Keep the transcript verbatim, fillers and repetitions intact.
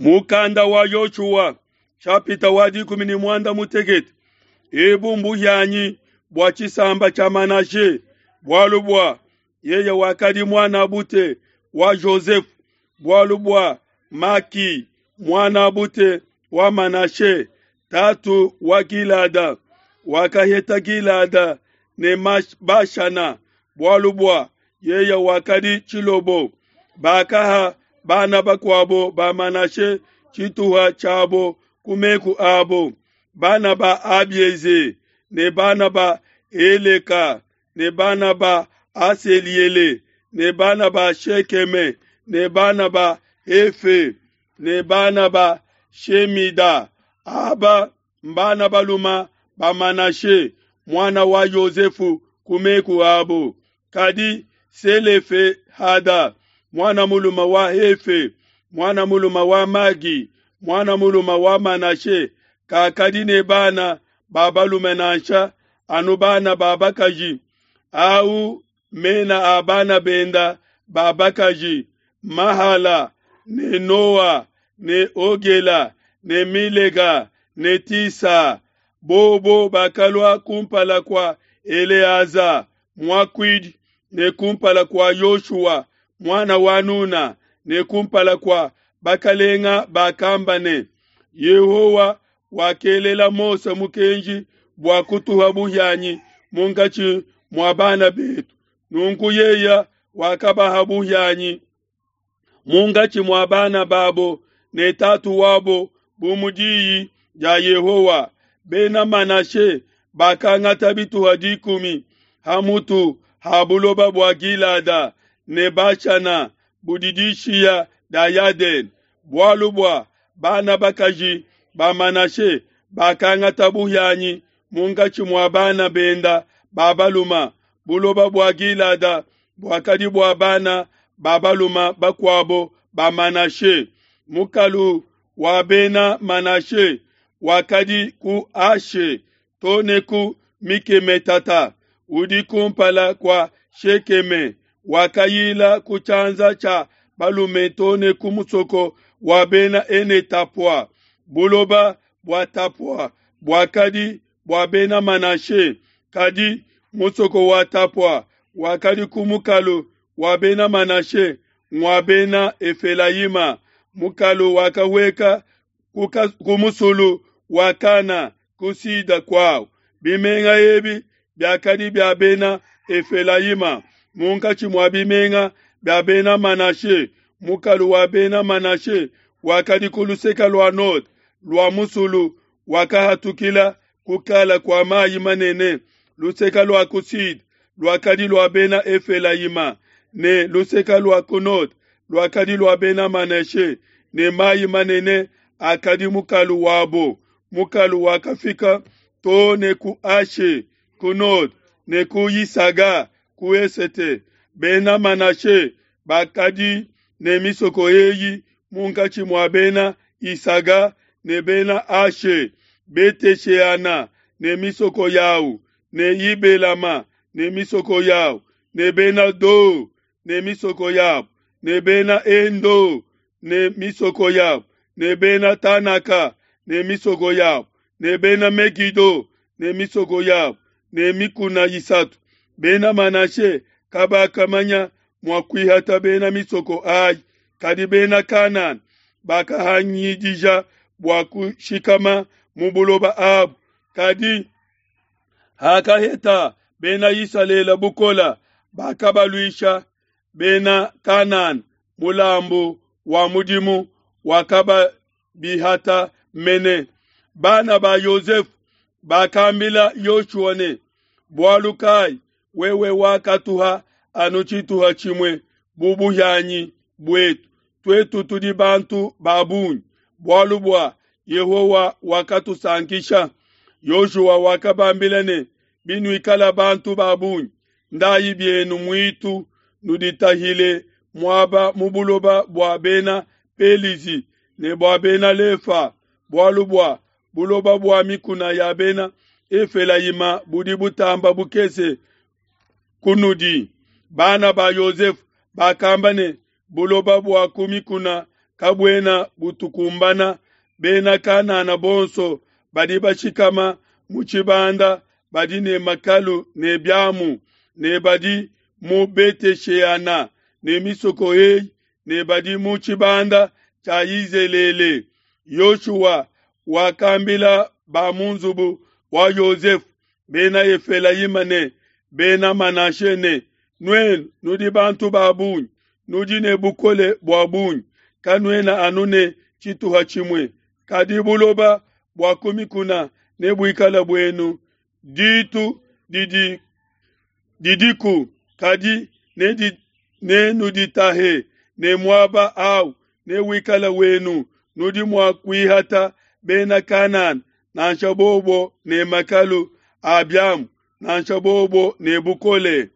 Mukanda wa Yoshua nshapita wa dikumi ne muanda mutekete. Ebu mbuhianyi bua tshisamba tshia Manashe, bualu bua yeye wakadi muanabute wa Jozefe, bualu bua Maki muanabute wa Manashe, tatu wa Gilada, wakaheta Gilada ne Bashana, bualu bua yeye wakadi tshilobo. Bakaha bana bakuabo ba Manashe tshituha tshiabo ku meku abo, bana ba Abieze ne bana ba Heleka ne bana ba Aseliele ne bana ba Shekeme ne bana ba Hefe ne bana ba Shemida. Aba mbana baluma ba Manashe muana wa Yosefu ku meku abo. Kadi Selefehada muana mulume wa Hefe muana mulume wa Magi muana mulume wa Manashe kakadi ne bana ba balume nansha anu bana ba bakaji. Au mena a bana benda ba bakaji: Mahala ne Noa ne Ogela ne Milega ne Tisa. Bobo bakalua kumpala kua Eleaza muakuidi ne kumpala kua Yoshua muana wa Nuna ne kumpala kua bakalenga bakamba ne, Yehowa wakelela Mose mukenji bua kutuha buhianyi munkatshi mua bana betu. Nunku yeye wakabaha buhianyi munkatshi mua bana babo ne tatu wabo bu mu diyi dia Yehowa. Bena Manashe bakangata bituha dikumi ha mutu ha buloba bua Gilada ne Bashana budi dishiya dia Yadene, bualu bua bana bakaji ba Manashe bakangata buhianyi munkatshi mua bana benda ba baluma. Buloba bua Gilada buakadi bua bana ba baluma bakuabo ba Manashe. Mukalu wa bena Manashe wakadi ku Ashe to ne ku Mikemetata udi kumpala kua Shekeme, wakayila ku tshianza tshia balume to ne ku musoko wa bena Ene-Tapua. Buloba bua Tapua buakadi bua bena Manashe, kadi musoko wa Tapua wakadi ku mukalu wa bena Manashe ngua bena Efelayima. Mukalu wakahueka ku musulu wa Kana ku sida kuawu. Bimenga ebi biakadi bia bena Efelayima munkatshi mua bimenga bia bena Manashe. Mukalu wa bena Manashe wakadi ku luseke lua node lua musulu wakahatukila kukala kua mayi manene. Luseke lua ku sud luakadi lua bena Efelayima ne luseke lua ku node luakadi lua bena Manashe, ne mayi manene akadi mukalu wabo. Mukalu wakafika to ne ku Ashe ku node ne ku Yisaga ku esete. Bena Manashe bakadi ne misoko eyi munkatshi mua bena Isaga ne bena Ashe: Bete-Sheana ne misoko yawu, ne Yibelama ne misoko yawu, ne bena Do ne misoko yabo, ne bena Endo ne misoko yabo, ne bena Tanaka ne misoko yabo, ne bena Megido ne misoko yabo, ne mikuna isatu. Bena Manashe kabakamanya mua kuihata bena misoko ayi, kadi bena Kanana bakahangidija bua kushikama mu buloba abu. Kadi hakaheta bena Isalele bukola, bakabaluisha bena Kanana mulambu wa mudimu wakababihata mene. Bana ba Yosefu bakambila Yoshua ne, bualu kai wewe wakatuha anu tshituha tshimue bu buhianyi buetu, tuetu tudi bantu ba bungi, bualu bua Yehowa wakatusankisha. Yoshua wakabambila ne, binuikala bantu ba bungi, ndayi bienu muitu nuditahile muaba mu buloba bua bena Pelizi ne bua bena Lefa, bualu bua buloba bua mikuna ya bena Efelayima budi butamba bukese kunudi. Bana ba Yosefu bakamba ne, buloba bua ku mikuna kabuena butukumbana. Bena Kanana bonso badi bashikama mu tshibanda badi ne makalu ne biamu, ne badi mu Bete-sheana ne misoko eyi, ne badi mu tshibanda tshia Yizelele. Yoshua wakambila ba mu nzubu wa Yosefe, Bena Efelayima ne Bena Manashe ne, Nuenu nudi bantu ba bungi, nudi ne bukole bua bungi, kanuena anu ne tshituha tshimue, kadi buloba bua ku mikuna nebuikale buenu. Ditu didi didiku, kadi nenuditahe, ne muaba au newikale wenu. Nudi mua kuihata Bena Kanana, nansha bobo ne makalu a biamu, nansha bobo ne bukole.